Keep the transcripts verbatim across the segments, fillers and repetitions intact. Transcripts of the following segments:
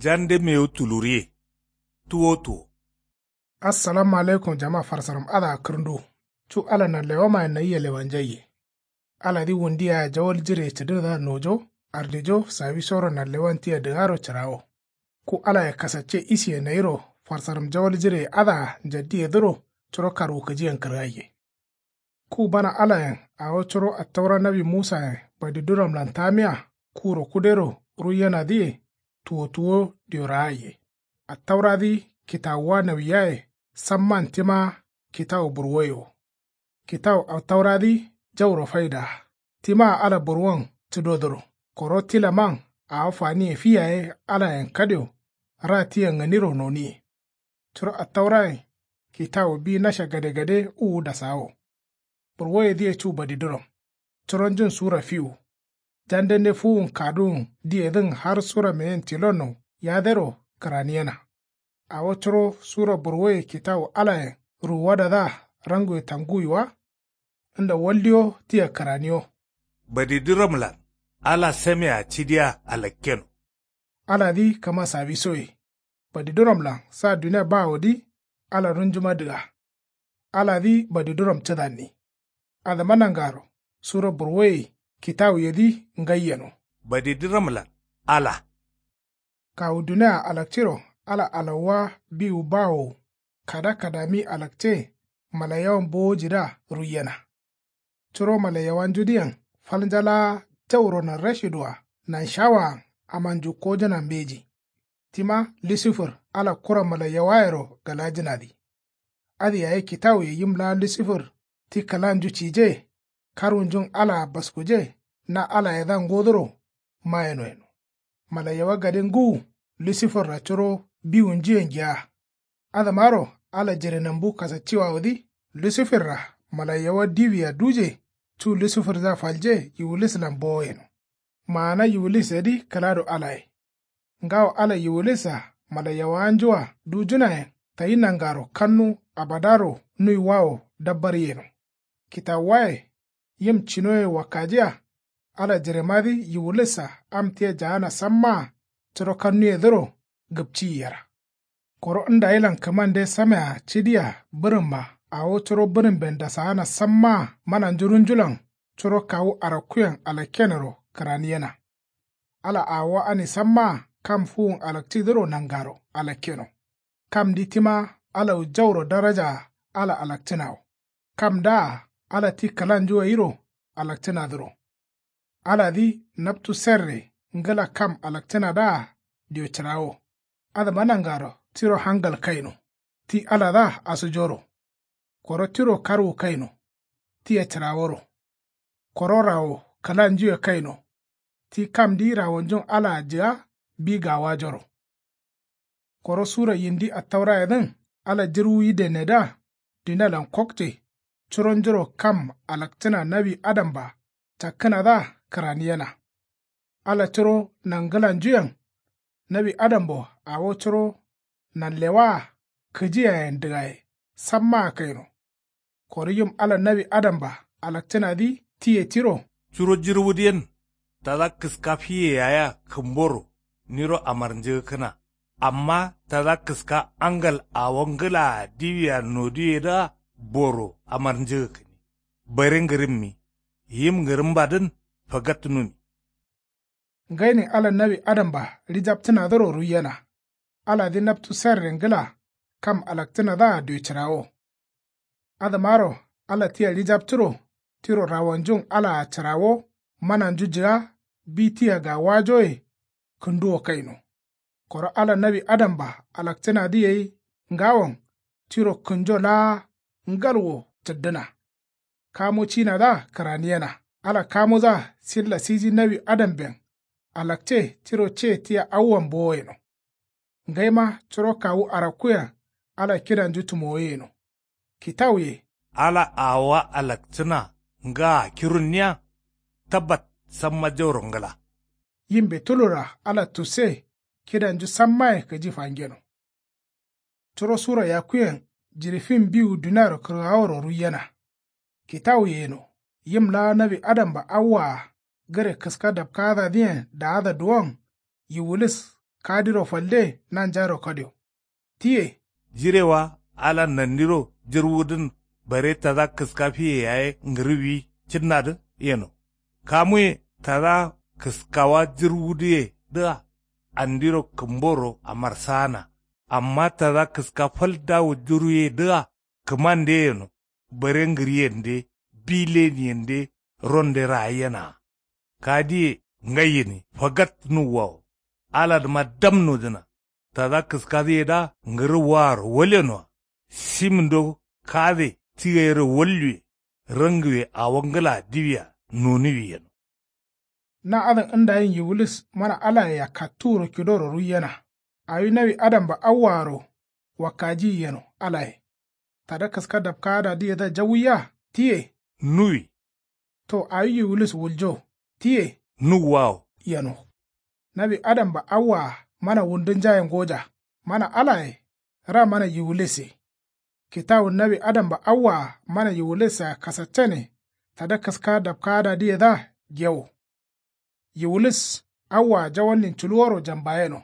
Jande mewu tuluriye. Tuwo tuwo. Assalamu alaikum jama farsaram adǝa kǝrndu. Cu ala nanlewamayen nayia lewanjaiye. Aladǝ wundu yaye jawal jireye cǝdǝnadǝa nojo ardijo sawisoro nanlewan tia dǝgaro cǝrawo. Ku alaye kasacce isiye nayiro farsaram jawal jireye adǝa njaddiyedǝro curo karwukǝjiyen kǝrgaiye. Ku bana alayen awo curo attaura nawi musayen badiduramlan tamiya kuro kudero ruiyenadǝye tuwo tuwo diyoragaiye. Attauradǝ kitawuwa nawiyaye samman tima kitawu burwoye wo. Kitawu attauradǝ jauro faidaa. Timaa ala burwon cǝdodǝro koro tilaman awo faniye fi yaye alayen kadio ra tiyen gǝniro noniye. Curo attaurayen kitawu bi nasha gadegade uwu dasawo. Burwoyedǝye cu badiduram. Curonjun sura fiwu. Jandende fuwun kaduwun diyedǝn har sura meyen tilonno yadero kǝraniyena. Awo curo sura burwoye kitawu alayen ruwuwadadǝa ranguwe tanguwi wa. Nda waldiyo tia kǝraniyo. Badiduramlan ala samea cidiya alakkeno. Aladǝ kama sawisoye. Badiduramlan sa dunia bawodǝ ala runjuma dǝga. Aladǝ badiduram cǝdanni. Adǝma nangaro sura burwoye kitawuyedǝ ngai yeno. Badiduramlan ala. Kawu dunia alakciro ala alauwa biwu bawowu kada kadami alakce. Malaiyawan bowojidǝa ruiyena. Curo malaiyawanjudǝyen falnja laa jauro nanrashidǝa nanshawaan amanju kojǝna mbeji. Tima lusifir ala kura malaiyawayero galajǝnadǝ. Adǝ yaye kitawuye yim laa lusifir ti kǝlanju cije. Karwunjun alaa baskuje na alayedǝa ngodoro mayeno yeno. Malaiyawa gade ngǝwu lusifirra curo biwunjuyen giya. Adǝmaro ala jirenambu kasacciwawodǝ lusifirra malaiyawa diwia duje cu lusifirdǝa falje yiwulislan bowo yeno. Maana yiwulisedǝ kǝlado alaye. Ngawo ala yiwulisa malaiyawawanjua dujunayen tayi nangaro kannu abadaro nuiwawo dabbar yeno. Kitawuwaye yim cinoye wakkajiya. Ala jiremadǝ yiwulisa am tia jaana sammaa curo kannuyedǝro gǝpciyi yera. Koro ndayilan kǝmande samea cidiya bǝrǝmma awo curo bǝrǝmben dasaana sammaa mananju runjulan curo kawu arakkuyen alakkenero kǝraniyena. Ala awowa ani sammaa kam fuwun alakcidǝro nangaro alakkeno. Kamdǝ tima alawu jauro darajaa ala alakcǝnawo. Kamdǝa ala ti kǝlanju gairo alakcǝnadǝro. Aladǝ naptu serre ngǝla kam alakcǝnadǝa dio cǝrawo. Adǝma nangaro tiro hangal kaino. Ti aladǝa asujoro. Koro tiro karwu kaino. Tia cǝraworo. Koro rawo kǝlanjuye kaino. Ti kamdǝ rawonjun alaa jǝga bi gawajoro. Koro sura yindi attaurayedǝn ala jǝrwu yidennedǝa dunialan kokce. Curonjuro kam alakcǝna nawi adamba cakkǝnadǝa kǝraniyena. Ala curo nangǝlanjuyen nawi adambo awo curo nanlewaa kǝjiyayen dǝgaye sammaa kaino. Koro yim ala nawi adamba alakcǝnadǝ tiye tiro. Curo jirwudǝyen tada kǝska fiye yayea kǝmboro niro amarnjǝgǝkkǝna. Amma tada kǝska angal awo ngǝlaa diwia noduyedǝa boro amarnjǝgǝkkǝni. Bare ngǝrǝmmi yim ngǝrǝmbadǝn fagattunumi. Ngainin ala nawi adamba ɍijaptǝnadǝro ruiyena. Aladǝ naptu serre ngǝla kam alakcǝnadǝa dio cǝrawo. Adǝmaro ala tia ɍijapturo tiro rawonjun alaa cǝrawo mananju jǝga bi tia gawajoye kǝnduwo kaino. Koro ala nawi adamba alakcǝnadǝ gai ngawon tiro kǝnjo laa ngalwo cǝddǝna. Kamu cinadǝa kǝraniyena. Ala kamudǝa silla siji nawi adamben alakce tiro ce tia awuwan bowo yeno. Ngaima curo kawu arakkuyen ala kidanju tumowoye yeno. Kitawuye. Ala awowa alakcǝna ngaa kirunniya. Tabbat samma jauro ngǝla. Yimbe tulura ala tusse kidanju sammaye kǝji fangeno. Curo sura yakkuyen jiɍi fim biwu duniaro kǝrgaworo ruiyena. Kitawuye yeno yim laa nawi adamba awwaa gǝre kǝska dapkaadadǝyen daada duwon yiwulis Kadiro falde nanjaro kadio. Tiye. Jirewa alan nandiro jirwudǝn bare tada kǝska fiye yaye ngǝrǝwi cǝnnadǝ yeno. Kamuye tada kǝskawa jirwudǝyedǝa andiro kǝmboro amarsaana. Amma tada kǝska fal dawo jirwuyedǝa kǝmande yeno. Bare ngǝriyende bi leniyende ronde raayenaa. Kadiye ngayyeni fagat nuwwawo. Aladǝma dam nojǝna. Tada kǝskadǝyedǝa ngǝrǝwwaaro walyenoa. Simindo kade ti gairo walluwe. Rangiwe awo ngǝlaa diwia nonuwi yeno. Na adǝn ndayin yiwulis mana alayea katturo kidoro ruiyena. Awi nawi adamba awwaaro wakkajiyi yeno alaye. Tada kǝska dapkaadadǝyedǝa jawuiya tiye. Nuwi. To awi yiwulis wuljo tiye. Nuwwawo yeno. Nawi adamba awwaa mana wundunjaye ngoja. Mana alaye ra mana yiwulisse. Kitawun nawi adamba awwaa mana yiwulissea kasaccane. Tada kǝska dapkaadadǝyedǝa gewo. Yiwulis awwaa jawallin culuworo jambayeno.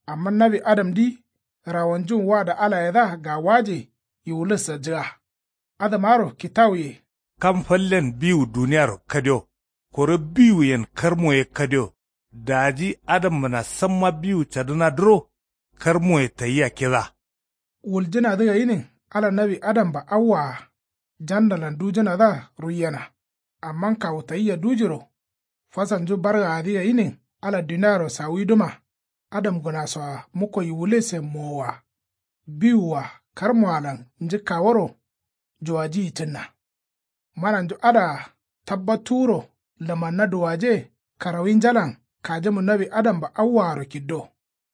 Amma nawi adamdǝ rawonjun wada alayedǝa gawaje. Yiwulissa jǝga. Adǝmaro kitawuye. Kam fallen biwu duniyaro kadio. Koro biwuyen karmoye kadio. Daji adambǝna samma biwu cadǝnadǝro. Karmoye tayia kida. Wuljǝnadǝ gayinin ala nawi adamba awwaa jandalan dujǝnadǝa ruiyena. Amma kawu tayia dujiro. Fasalnju bargaadǝ gayinin ala duniaro sawiduma. Adamgǝnasoa mukko yiwulesen mowoa. Biwua karmoalan njǝkkaworo. Juwajiyi cǝnna. Mananju adaa tabbattuwuro lǝmanna duwaje. Karawinjalan kajimu nawi adamba awwaaro kiddo.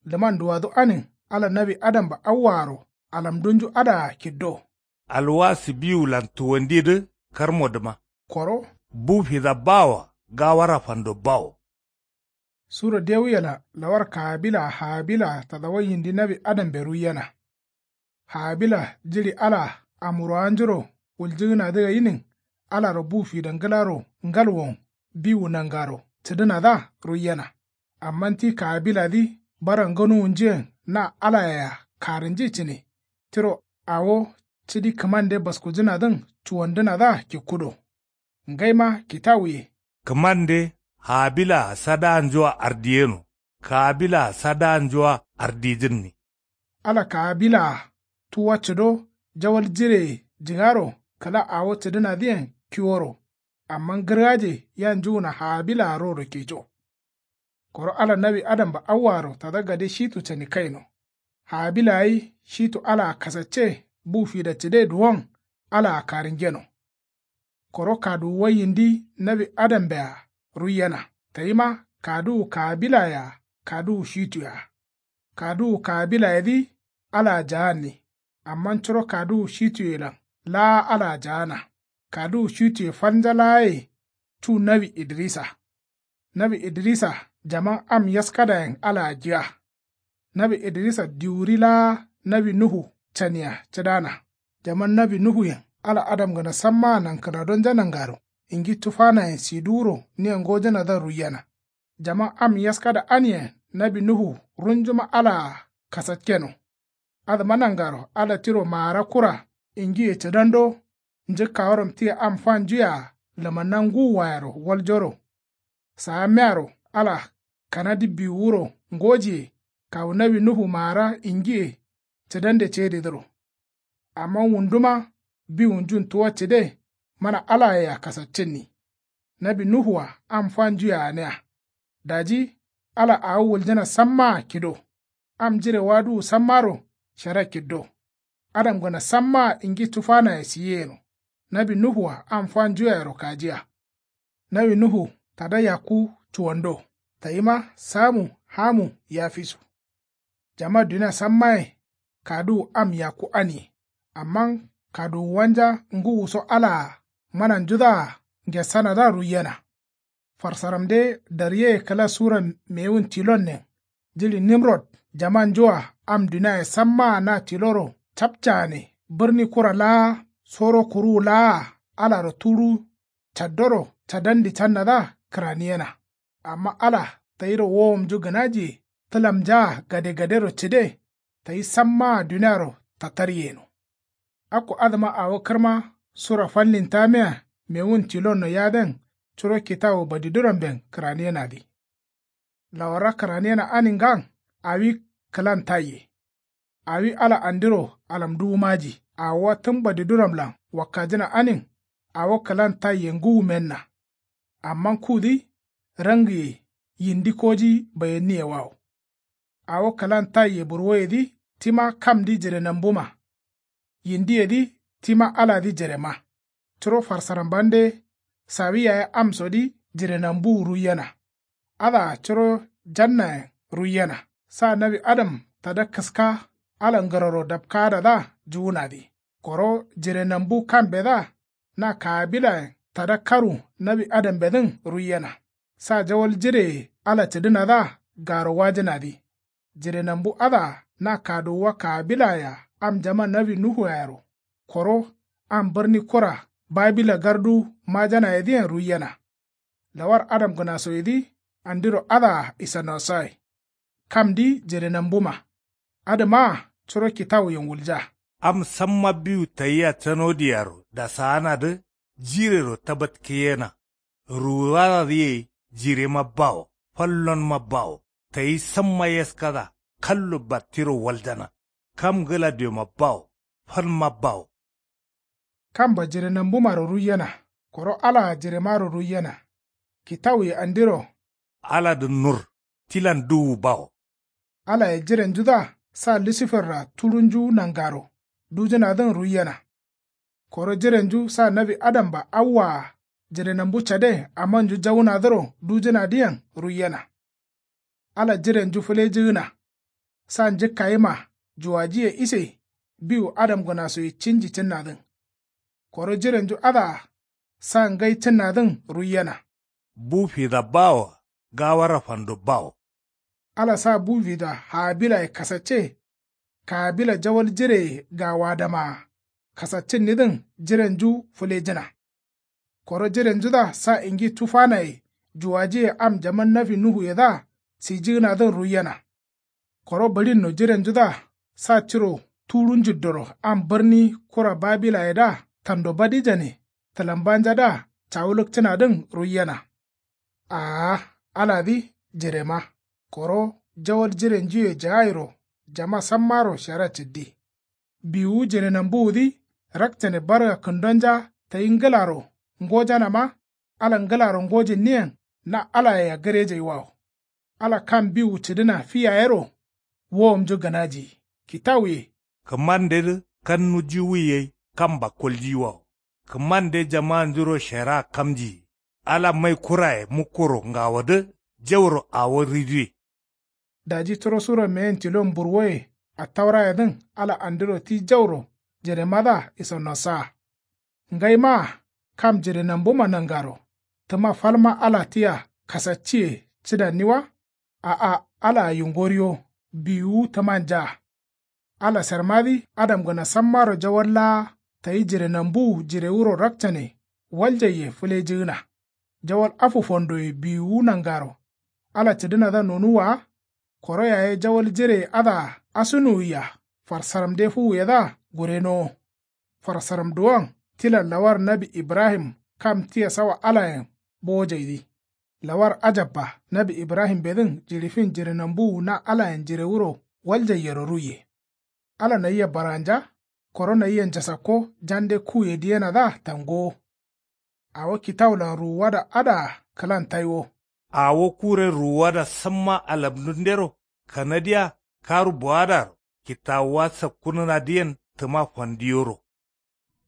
Lǝman duwadu anin ala nawi adamba awwaaro alamdunju adaa kiddo. Alwasi biwulan tuwandidǝ karmodǝma. Koro. Bu fida bawoa gawara fando bawo. Suro dewuyela lawar kaabila haabila tadawayindi nawi adambe ruiyena. Haabila jiɍi alaa amurowanjuro wuljǝgǝnadǝ gayinin. Alaro bu fida ngǝlaro ngalwon biwu nangaro cǝdǝnadǝa ruiyena. Amma ti kaabiladǝ bara ngǝnuwunjuyen na alayea karǝnji cǝne. Tiro awo cidi kǝmande baskujǝnadǝn cuwandǝnadǝa kikkudo. Ngaima kitawuye. Kǝmande haabilaa sadaanjua ardiyeno. Kaabilaa sadaanjua ardijǝnni. Ala kaabilaa tuwa cǝdo jawal jireye jǝgaro kǝla awo cǝdǝnadǝyen kiworo. Amma ngǝrgaje ya njuwuna haabilaa roro keco. Koro ala nawi adamba awwaaro tada gade shitu cani kaino. Haabilaa ye shitu alaa kasacce bu fida cǝde duwon alaa karǝngeno. Koro kaduwuwa yindi nawi adambea ruiyena. Tayima kaduwu kaabilayea kaduwu shituyea. Kaduwu kaabilayedǝ alaa jaanni. Amma curo kaduwu shituyelan laa alaa jaana. Kaduwu shituye falnja laaye cu nawi idrisa. Nawi idrisa jaman am yaskadayen alaa jǝga. Nawi idrisa diwuri laa nawi nuhu cania cǝdana. Jaman nawi nuhuyen ala adamgǝna sammaa nankǝnadonja nangaro ingi tufanayen siduwuro nia ngojǝnadǝa ruiyena. Jaman am yaskada aniyen nawi nuhu runjuma alaa kasakkeno. Adǝma nangaro ala tiro maara kura ingiye cǝdando. Njǝkkaworom tia am fanjuyea lǝmanna ngǝwuwayero waljoro. Saamiyaro ala kanadǝ biwuwuro ngojiye kawu nawi nuhu maara ingiye cǝdande cedidǝro. Amma wunduma biwunjun tuwa cǝde mana alayea kasaccǝnni. Nawi nuhua am fanjuyea gǝnia. Daji ala awo wuljǝna sammaa kido. Am jire waduwu sammaro shara kiddo. Adamgǝna sammaa ingi tufanaye siyiyeno. Nawi nuhua am fanjuyayero kajiya. Nawi nuhu tada yakku cuwando. Tayima samu hamu yafisu. Jama dunia sammaye kaduwu am yakku aniye. Amma kaduwuwanja ngǝwuso alaa mananjudǝa ngessanadǝa ruiyena. Farsaramde daryeye kǝla sura mewun tilonnen. Jiɍi nimrod jamanjua am duniaye sammaa na tiloro capcaane bǝrni kura laa soro kuruwu laa alaro tuɍu caddoro cadandi cannadǝa kǝraniyena. Amma ala tayiro wowomnju gǝnajiye tǝlamnjaa gadegadero cǝde. Tayi sammaa duniaro tatarye yeno. Akko adǝma awo kǝrma sura fallintamea mewun tilonno yaden curo kitawu badiduramben kǝraniyenadǝ. Lawarra kǝraniyena aningan awi kǝlan tayye. Awi ala andiro alamduwu maji awowa tǝm badiduramlan wakkajǝna anin. Awo kǝlan tayye ngǝwumenna. Amma kudǝ rangiye yindi koji bayenniyewawo. Awo kǝlan tayye burwoyedǝ tima kamdǝ jirenambuma. Yindiyedǝ tima aladǝ jirema. Curo farsarambande sawi yaye amsodǝ jirenambuwu ruiyena. Adǝa curo jannayen ruiyena. Sa nawi adam tada kǝska ala ngǝroro dapkaadadǝa juwunadǝ. Koro jirenambu kambedǝa na kaabilayen tada karu nawi adambedǝn ruiyena. Sa jawal jireye ala cǝdǝnadǝa garo wajǝnadǝ. Jirenambu adǝa na kaduwuwa kaabilayea am jama nawi nuhuyayero. Koro am bǝrni kura babila gardu majanayedǝyen ruiyena. Lawar adamgǝnasoyedǝ andiro adǝa isanosaye. Kamdǝ jirenambuma. Adǝmaa curo kitawuyen wulja. Am samma biwu tayia canodiyaro dasaanadǝ jirero tabatkeyena. Ruwuwadadǝ ye jirema bawo fallonma bawo tayi samma yaskada kallo battiro waljana. Kam ngǝla dioma bawo falma bawo. Kamba jirenambumaro ruiyena. Koro alaa jiremaro ruiyena. Kitawuye andiro. Aladǝ nur tilan duwu bawo. Alaye jirenjudǝa sa lusiferra tuɍunju nangaro dujǝnadǝn ruiyena. Koro jirenju sa nawi adamba awwaa jirenambu cade amanju jawunadǝro dujǝnadǝyen ruiyena. Ala jirenju fǝlejǝgǝna. Sa njǝkkayima juwajiye ise biwu adamgǝnasoye cinji cǝnnadǝn. Koro jirenju adǝa sa ngai cǝnnadǝn ruiyena. Bu fida bawoa gawara fando bawo. Ala sa bu fida haabilaye kasacce. Kaabila jawal jireye gawaadamaa kasaccǝnnidǝn jirenju fǝlejǝna. Koro jirenjudǝa sa ingi tufanaye juwajiye am jaman nawi nuhuyedǝa sijǝgǝnadǝn ruiyena. Koro bǝɍinno jirenjudǝa sa tiro tuɍu njiddoro am bǝrni kura babilayedǝa tando badijane tǝlambanjadǝa cawulukcǝnadǝn ruiyena. Aa aladǝ jirema. Koro jawal jirenjuye jaayiro jama sammaro shara cǝddi. Biwuwu jirenambuwudǝ rakcane barga kǝndonja tayi ngǝlaro ngojanama. Ala ngǝlaro ngojinniyen na alayea gǝrejaiwawo. Ala kam biwu cǝdǝna fi yayero wowomnju gǝnajiyi kitawuye. Kǝmandedǝ kannu jiwuyi gai kamba koljiyiwawo. Kǝmande jamanjuro sheraa kamjiyi. Ala mai kuraye mukkoro ngawodǝ jauro awo riduwe. Daji turo suro meyen tilon burwoye attaurayedǝn ala andiro ti jauro jiremadǝa isonosaa. Ngaimaa kam jirenambuma nangaro tǝma falma ala tia kasacciye cǝdanniwa. A'a alaa yungoriyo biwuwu tǝmanja. Ala sermadǝ adamgǝna sammaro jawal laa tayi jirenambuwu jirewuro rakcane waljaiye fǝlejǝgǝna. Jawal afu fondoye biwuwu nangaro ala cǝdǝnadǝa nonuwwa wa. Koro yaye jawal jireye adǝa asunuwia farsaramde fuwuyedǝa gurenowo. Farsaramduwan tilan lawar nawi ibrahim kam tia sawa alayen bowojaidǝ. Lawar ajabba nawi ibrahimbedǝn jiɍi fin jirenambuwu na alayen jirewuro waljaiyero ruiye. Ala nayia baranja koro nayia njasakko jande kuye diyenadǝa tangowo. Awo kitawulan ruwuwada adǝa kǝlan taiwo. Awo kure ruwuwada samma alamdundero kanadiya karu bowadaro kitawuwa sakkunǝnadǝyen tǝma fandiyoro.